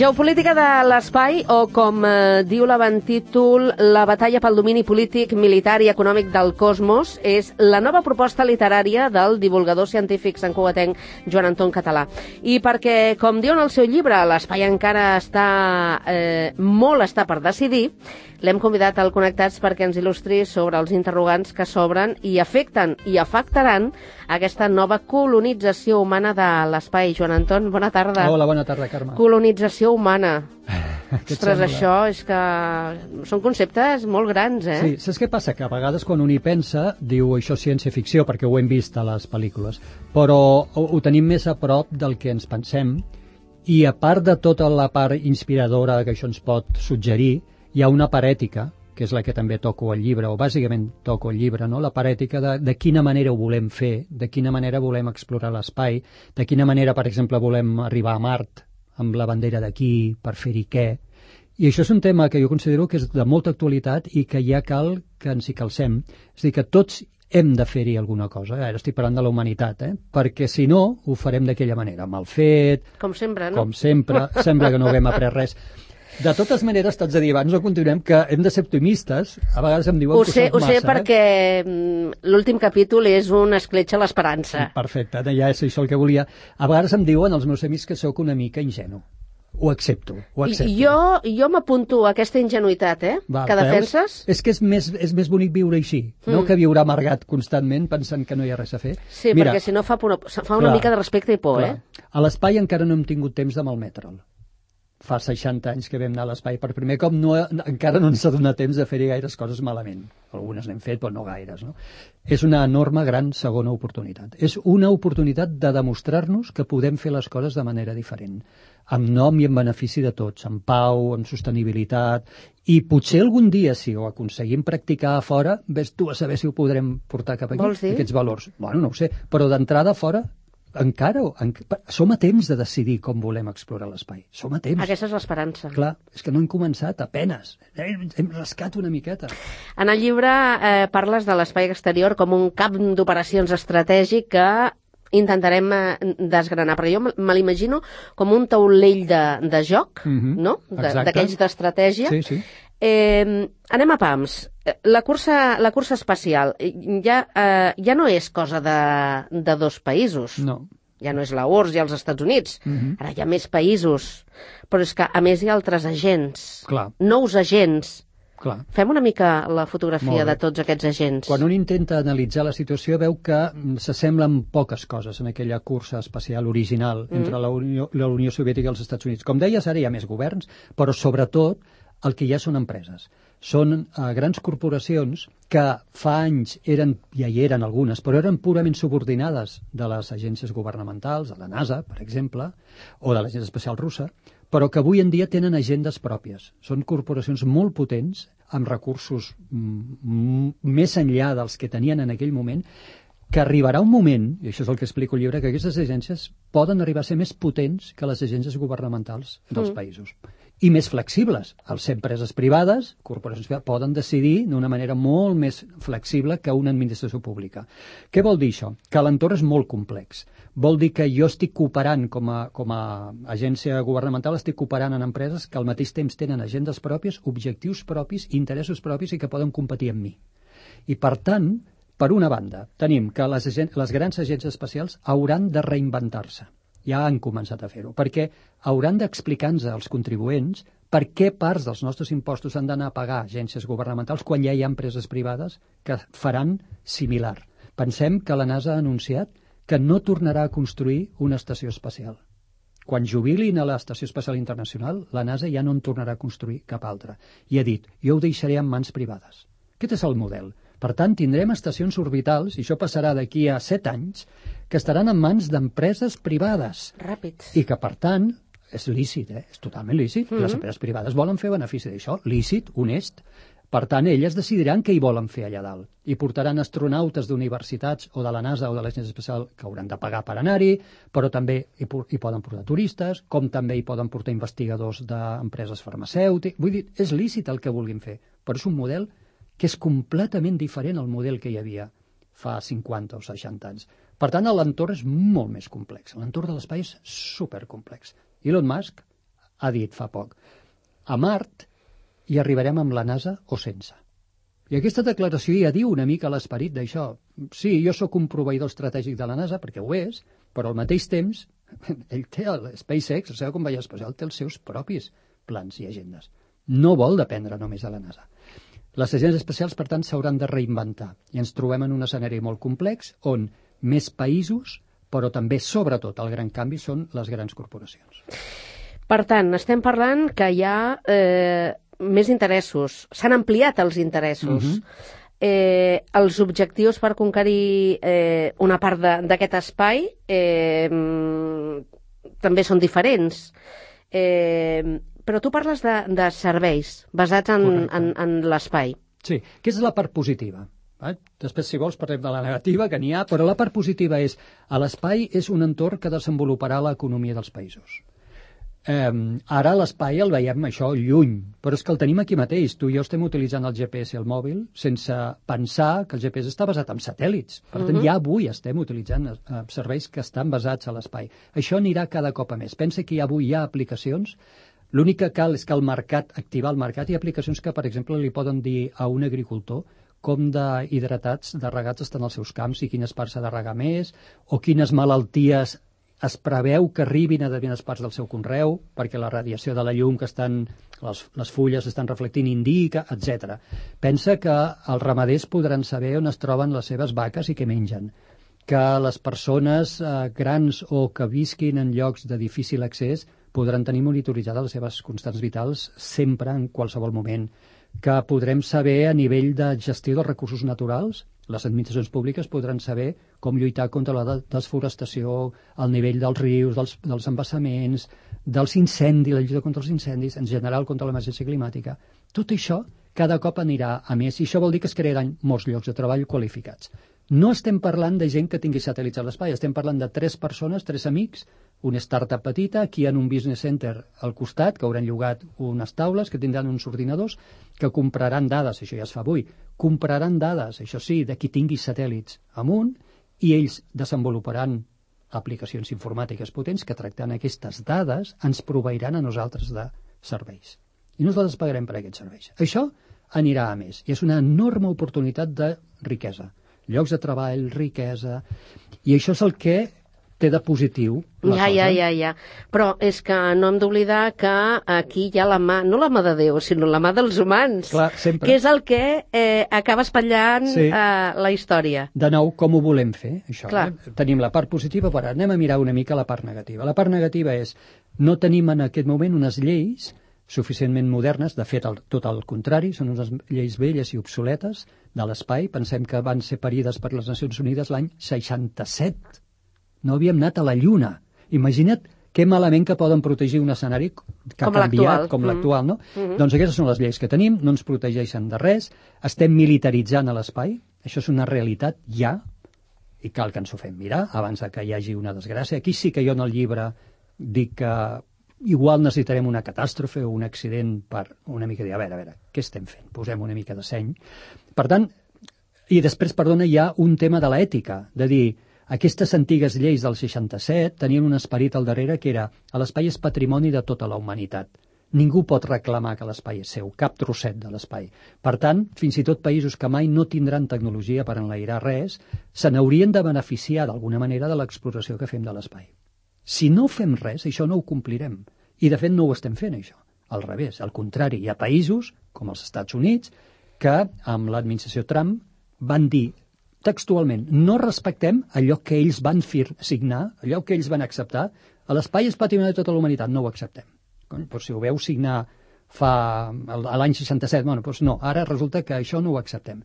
Geopolítica de l'espai, o com diu l'avantítol, la batalla pel domini polític, militar i econòmic del cosmos, és la nova proposta literària del divulgador científic santcugatenc Joan Anton Català. I perquè, com diu en el seu llibre, l'espai encara molt està per decidir, l'hem convidat al Connectats perquè ens il·lustri sobre els interrogants que s'obren i afecten i afectaran aquesta nova colonització humana de l'espai. Joan Anton, bona tarda. Hola, bona tarda, Carme. Colonització humana. Ostres, això és que són conceptes molt grans, eh? Sí, saps què passa? Que a vegades quan un hi pensa, diu això és ciència-ficció, perquè ho hem vist a les pel·lícules, però ho tenim més a prop del que ens pensem, i a part de tota la part inspiradora que això ens pot suggerir, hi ha una part ètica, que és la que també toco al llibre, o bàsicament toco al llibre, no? La part ètica de quina manera ho volem fer, de quina manera volem explorar l'espai, de quina manera, per exemple, volem arribar a Mart amb la bandera d'aquí per fer-hi què. I això és un tema que jo considero que és de molta actualitat i que ja cal que ens hi calcem. És a dir, que tots hem de fer-hi alguna cosa. Ara estic parlant de la humanitat, perquè si no, ho farem d'aquella manera, mal fet... Com sempre, no? Com sempre, sembla que no haguem après res. De totes maneres, t'haig de dir, abans no continuem, que hem de ser optimistes. A vegades em diuen que soc massa. Ho sé perquè l'últim capítol és una escletxa a l'esperança. Perfecte, ja és això el que volia. A vegades em diuen els meus amics que sóc una mica ingenu. Ho accepto. Jo m'apunto a aquesta ingenuïtat, que defenses. És que és més bonic viure així, no que viure amargat constantment pensant que no hi ha res a fer. Sí, mira, perquè si no fa una mica de respecte i por, A l'espai encara no hem tingut temps de malmetre'l. Fa 60 anys que vam anar a l'espai per primer cop, encara no ens ha donat temps de fer-hi gaires coses malament. Algunes n'hem fet, però no gaires, no? És una enorme, gran segona oportunitat. És una oportunitat de demostrar-nos que podem fer les coses de manera diferent, amb nom i en benefici de tots, amb pau, amb sostenibilitat, i potser algun dia, si ho aconseguim practicar a fora, ves tu a saber si ho podrem portar cap aquí, aquests valors. Bueno, no ho sé, però d'entrada a fora encara som a temps de decidir com volem explorar l'espai. Som a temps. Aquesta és l'esperança. Clar, és que no hem començat, apenes. Hem rascat una miqueta. En el llibre parles de l'espai exterior com un camp d'operacions estratègic que intentarem desgranar, però jo me l'imagino com un taulell de joc, no? D'aquells d'estratègia. Sí, sí. Anem a pams. La cursa espacial ja no és cosa de dos països. No. Ja no és la URSS i els Estats Units. Ara hi ha més països. Però és que, a més, hi ha altres agents. Clar. Nous agents. Clar. Fem una mica la fotografia de tots aquests agents. Quan un intenta analitzar la situació veu que s'assemblen poques coses en aquella cursa espacial original entre la Unió Soviètica i els Estats Units. Com deies, ara hi ha més governs, però sobretot el que ja són empreses. Són grans corporacions que fa anys ja hi eren algunes, però eren purament subordinades de les agències governamentals, de la NASA, per exemple, o de l'Agència Espacial Russa, però que avui en dia tenen agendes pròpies. Són corporacions molt potents, amb recursos més enllà dels que tenien en aquell moment, que arribarà un moment, i això és el que explico al llibre, que aquestes agències poden arribar a ser més potents que les agències governamentals dels països. I més flexibles. Els empreses privades, corporacions privades, poden decidir d'una manera molt més flexible que una administració pública. Què vol dir això? Que l'entorn és molt complex. Vol dir que jo estic cooperant com a agència governamental, estic cooperant en empreses que al mateix temps tenen agendes pròpies, objectius propis, interessos propis i que poden competir amb mi. I per tant, per una banda, tenim que les grans agències espacials hauran de reinventar-se. Ja han començat a fer-ho, perquè hauran d'explicar-nos als contribuents per què parts dels nostres impostos han d'anar a pagar agències governamentals quan ja hi ha empreses privades que faran similar. Pensem que la NASA ha anunciat que no tornarà a construir una estació espacial. Quan jubilin a l'Estació Espacial Internacional, la NASA ja no en tornarà a construir cap altra. I ha dit, jo ho deixaré en mans privades. Aquest és el model. Per tant, tindrem estacions orbitals, i això passarà d'aquí a 7 anys, que estaran en mans d'empreses privades. Ràpids. I que, per tant, és lícit, és totalment lícit. Les empreses privades volen fer benefici d'això, lícit, honest. Per tant, elles decidiran què hi volen fer allà dalt. I portaran astronautes d'universitats o de la NASA o de l'Agència Espacial que hauran de pagar per anar-hi, però també hi poden portar turistes, com també hi poden portar investigadors d'empreses farmacèutiques. Vull dir, és lícit el que vulguin fer, però és un model que és completament diferent al model que hi havia fa 50 o 60 anys. Per tant, l'entorn és molt més complex. L'entorn de l'espai és supercomplex. Elon Musk ha dit fa poc. A Mart hi arribarem amb la NASA o sense. I aquesta declaració ja diu una mica l'esperit d'això. Sí, jo sóc un proveïdor estratègic de la NASA, perquè ho és, però al mateix temps, ell té el SpaceX, el seu company espacial, té els seus propis plans i agendes. No vol dependre només de la NASA. Les agències espacials, per tant, s'hauran de reinventar. I ens trobem en un escenari molt complex on més països, però també, sobretot, el gran canvi són les grans corporacions. Per tant, estem parlant que hi ha més interessos. S'han ampliat els interessos. Els objectius per conquerir una part d'aquest espai també són diferents. Però tu parles de serveis basats en l'espai. Sí, que és la part positiva. Després, si vols, parlem de la negativa, que n'hi ha, però la part positiva és a l'espai és un entorn que desenvoluparà l'economia dels països. Ara l'espai el veiem això lluny, però és que el tenim aquí mateix. Tu i jo estem utilitzant el GPS al mòbil sense pensar que el GPS està basat en satèl·lits. Per tant, ja avui estem utilitzant serveis que estan basats a l'espai. Això anirà cada cop a més. Pensa que avui hi ha aplicacions. L'únic que cal és que el mercat, activar el mercat, hi ha aplicacions que, per exemple, li poden dir a un agricultor com d'hidratats, de regats estan als seus camps i quines parts s'ha de regar més, o quines malalties es preveu que arribin a determinades parts del seu conreu, perquè la radiació de la llum que les fulles estan reflectint indica, etc. Pensa que els ramaders podran saber on es troben les seves vaques i què mengen, que les persones grans o que visquin en llocs de difícil accés podran tenir monitoritzades les seves constants vitals sempre, en qualsevol moment, que podrem saber a nivell de gestió dels recursos naturals. Les administracions públiques podran saber com lluitar contra la desforestació, el nivell dels rius, dels embassaments, dels incendis, la lluita contra els incendis, en general contra l'emergència climàtica. Tot això cada cop anirà a més i això vol dir que es crearan molts llocs de treball qualificats. No estem parlant de gent que tingui satèl·lits a l'espai, estem parlant de 3 persones, 3 amics, una startup petita, aquí en un business center al costat, que hauran llogat unes taules, que tindran uns ordinadors, que compraran dades, això ja es fa avui, compraran dades, això sí, de qui tingui satèl·lits amunt, i ells desenvoluparan aplicacions informàtiques potents que tractant aquestes dades ens proveiran a nosaltres de serveis. I nosaltres pagarem per aquests serveis. Això anirà a més, i és una enorme oportunitat de riquesa. Llocs de treball, riquesa, i això és el que té de positiu la cosa. Ja. Però és que no hem d'oblidar que aquí hi ha la mà, no la mà de Déu, sinó la mà dels humans. Clar, sempre. Que és el que acaba espatllant la història. De nou, com ho volem fer, això? Tenim la part positiva, però anem a mirar una mica la part negativa. La part negativa és, no tenim en aquest moment unes lleis suficientment modernes, de fet, tot el contrari, són unes lleis velles i obsoletes de l'espai. Pensem que van ser parides per les Nacions Unides l'any 67. No havíem anat a la Lluna. Imagina't que malament que poden protegir un escenari que ha canviat, com l'actual, no? Doncs aquestes són les lleis que tenim, no ens protegeixen de res, estem militaritzant a l'espai, això és una realitat ja, i cal que ens ho fem mirar abans que hi hagi una desgràcia. Aquí sí que jo en el llibre dic que igual necessitarem una catàstrofe o un accident per una mica dir, a veure, què estem fent? Posem una mica de seny. Per tant, i després, perdona, hi ha un tema de l'ètica, de dir, aquestes antigues lleis del 67 tenien un esperit al darrere que era l'espai és patrimoni de tota la humanitat. Ningú pot reclamar que l'espai és seu, cap trosset de l'espai. Per tant, fins i tot països que mai no tindran tecnologia per enlairar res, se n'haurien de beneficiar d'alguna manera de l'exploració que fem de l'espai. Si no fem res, això no ho complirem. I, de fet, no ho estem fent, això. Al revés, al contrari, hi ha països, com els Estats Units, que amb l'administració Trump van dir textualment, no respectem allò que ells van signar, allò que ells van acceptar, a l'espai és patrimoni de tota la humanitat, no ho acceptem. Doncs si ho veu signar a l'any 67, doncs no, ara resulta que això no ho acceptem.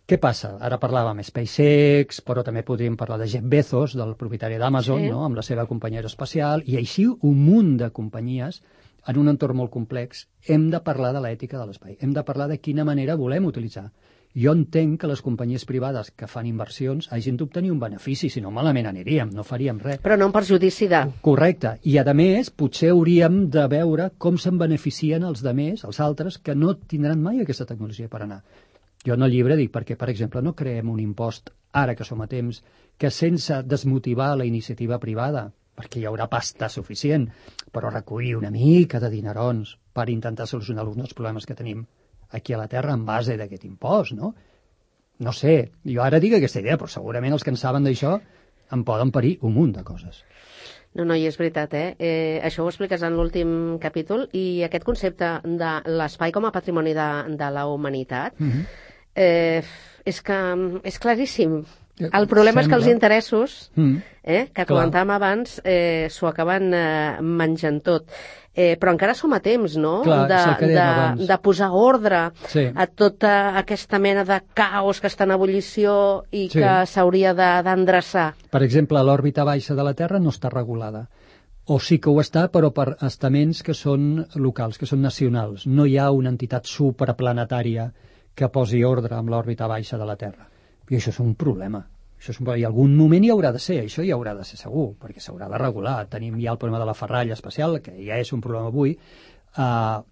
Què passa? Ara parlàvem SpaceX, però també podríem parlar de Jeff Bezos, del propietari d'Amazon, no? Amb la seva companyia aeroespacial, i així un munt de companyies en un entorn molt complex. Hem de parlar de l'ètica de l'espai, hem de parlar de quina manera volem utilitzar. Jo entenc que les companyies privades que fan inversions hagin d'obtenir un benefici, si no malament aniríem, no faríem res. Però no en perjudici de... Correcte. I, a més, potser hauríem de veure com se'n beneficien els demés, els altres, que no tindran mai aquesta tecnologia per anar. Jo en el llibre dic perquè, per exemple, no creem un impost, ara que som a temps, que sense desmotivar la iniciativa privada, perquè hi haurà pasta suficient, però recollir una mica de dinerons per intentar solucionar alguns problemes que tenim aquí a la Terra en base d'aquest impost, no? No sé, jo ara dic aquesta idea, però segurament els que en saben d'això en poden parir un munt de coses. No, i és veritat, això ho expliques en l'últim capítol, i aquest concepte de l'espai com a patrimoni de la humanitat és que és claríssim. El problema és que els interessos, que comentàvem abans, s'ho acaben menjant tot. Però encara som a temps, no?, de posar ordre a tota aquesta mena de caos que està en ebullició i que s'hauria d'endreçar. Per exemple, l'òrbita baixa de la Terra no està regulada. O sí que ho està, però per estaments que són locals, que són nacionals. No hi ha una entitat supraplanetària que posi ordre amb l'òrbita baixa de la Terra. I això és un problema. I algun moment hi haurà de ser, això hi haurà de ser segur, perquè s'haurà de regular. Tenim ja el problema de la ferralla espacial, que ja és un problema avui.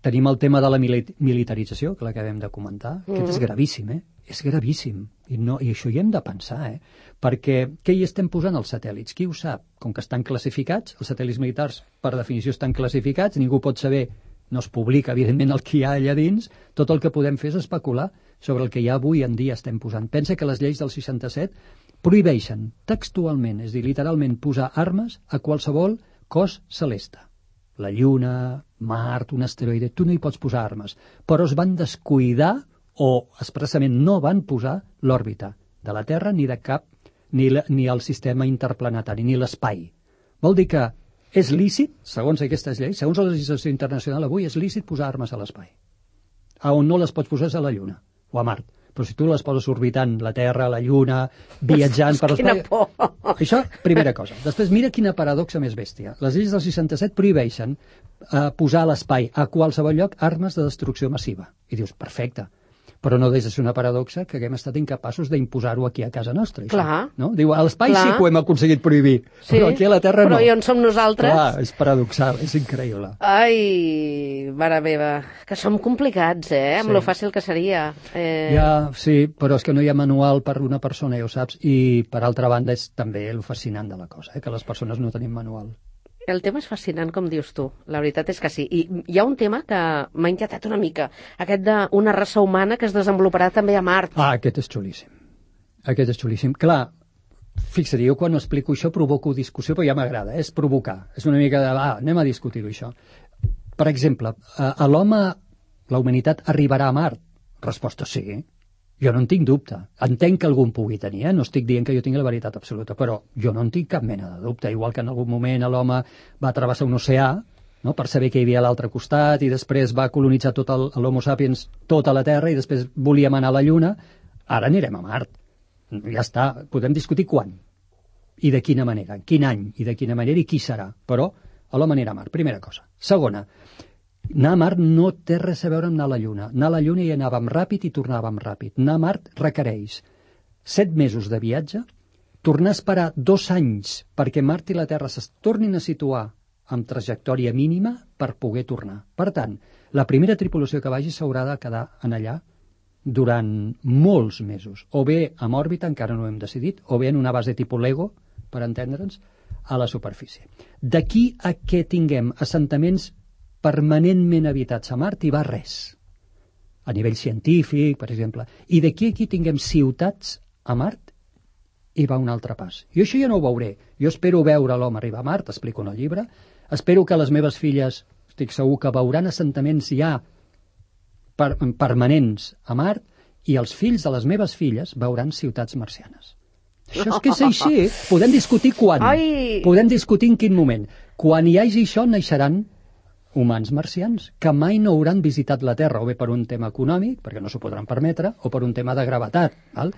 Tenim el tema de la militarització, que l'acabem de comentar. Aquest és gravíssim, És gravíssim. I això hi hem de pensar, Perquè què hi estem posant als satèl·lits? Qui ho sap? Com que estan classificats, els satèl·lits militars, per definició, estan classificats, ningú pot saber, no es publica, evidentment, el que hi ha allà dins, tot el que podem fer és especular sobre el que ja avui en dia estem posant. Pensa que les lleis del 67 prohibeixen textualment, és a dir, literalment, posar armes a qualsevol cos celeste. La Lluna, Mart, un asteroide, tu no hi pots posar armes, però es van descuidar o expressament no van posar l'òrbita de la Terra ni de cap, ni el sistema interplanetari, ni l'espai. Vol dir que és lícit, segons aquestes lleis, segons la legislació internacional avui, és lícit posar armes a l'espai. On no les pots posar és a la Lluna o a Mart. Però si tu les poses orbitant la Terra, la Lluna, viatjant per l'espai... Quina por! Això, primera cosa. Després, mira quina paradoxa més bèstia. Les lleis del 67 prohibeixen posar a l'espai, a qualsevol lloc, armes de destrucció massiva. I dius, perfecte. Però no deixa de ser una paradoxa que haguem estat incapaços d'imposar-ho aquí a casa nostra. Això, clar. No? Diu, a l'espai sí que ho hem aconseguit prohibir, però aquí a la Terra no. Però i on som nosaltres? Clar, és paradoxal, és increïble. Ai, mare meva, que som complicats, amb lo fàcil que seria. Ja, sí, però és que no hi ha manual per una persona, ja ho saps, i per altra banda és també el fascinant de la cosa, que les persones no tenim manual. El tema és fascinant, com dius tu. La veritat és que sí. I hi ha un tema que m'ha inquietat una mica. Aquest d'una raça humana que es desenvoluparà també a Mart. Aquest és xulíssim. Aquest és xulíssim. Clar, fixa't, jo quan explico això provoco discussió, però ja m'agrada, és provocar. És una mica de, anem a discutir-ho, això. Per exemple, a l'home, la humanitat arribarà a Mart? Resposta sí. Jo no en tinc dubte. Entenc que algú en pugui tenir, no estic dient que jo tingui la veritat absoluta, però jo no en tinc cap mena de dubte. Igual que en algun moment l'home va travessar un oceà, no?, per saber què hi havia a l'altre costat, i després va colonitzar tot l'Homo sapiens, tota la Terra, i després volíem anar a la Lluna, ara anirem a Mart. Ja està, podem discutir quan i de quina manera, quin any i de quina manera i qui serà, però l'home anirà a Mart, primera cosa. Segona, anar a Mart no té res a veure amb anar a la Lluna. Anar a la Lluna hi anàvem ràpid i tornàvem ràpid. Anar a Mart requereix 7 mesos de viatge, tornar a esperar 2 anys perquè Mart i la Terra es tornin a situar amb trajectòria mínima per poder tornar. Per tant, la primera tripulació que vagi s'haurà de quedar en allà durant molts mesos. O bé amb òrbita, encara no ho hem decidit, o bé en una base tipus Lego, per entendre'ns, a la superfície. D'aquí a que tinguem assentaments permanentment habitats a Mart hi va res. A nivell científic, per exemple. I d'aquí a aquí tinguem ciutats a Mart hi va un altre pas. Jo això ja no ho veuré. Jo espero veure l'home arribar a Mart, explico en el llibre. Espero que les meves filles, estic segur que veuran assentaments ja permanents a Mart, i els fills de les meves filles veuran ciutats marcianes. Això és que és així. Podem discutir quan. Podem discutir en quin moment. Quan hi hagi això, naixeran humans marcians, que mai no hauran visitat la Terra, o bé per un tema econòmic, perquè no s'ho podran permetre, o per un tema de gravetat. Val?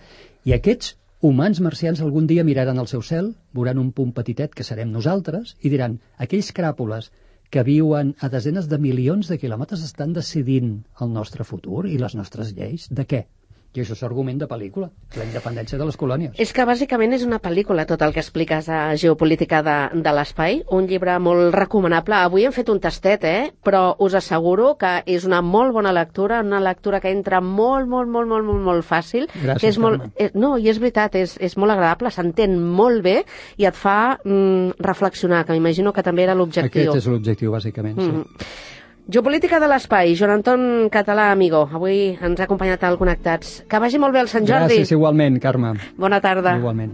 I aquests humans marcians algun dia miraran al seu cel, veuran un punt petitet que serem nosaltres, i diran, aquells cràpules que viuen a desenes de milions de quilòmetres estan decidint el nostre futur i les nostres lleis. De què? I això és argument de pel·lícula, la independència de les colònies. És que bàsicament és una pel·lícula tot el que expliques a Geopolítica de l'espai, un llibre molt recomanable. Avui hem fet un tastet, però us asseguro que és una molt bona lectura, una lectura que entra molt fàcil. Gràcies, que és Carme. No, i és veritat, és molt agradable, s'entén molt bé i et fa reflexionar, que m'imagino que també era l'objectiu. Aquest és l'objectiu, bàsicament, sí. Geopolítica de l'espai, Joan Anton Català, amigo. Avui ens ha acompanyat al Connectats. Que vagi molt bé el Sant Jordi. Gràcies, igualment, Carme. Bona tarda. Igualment.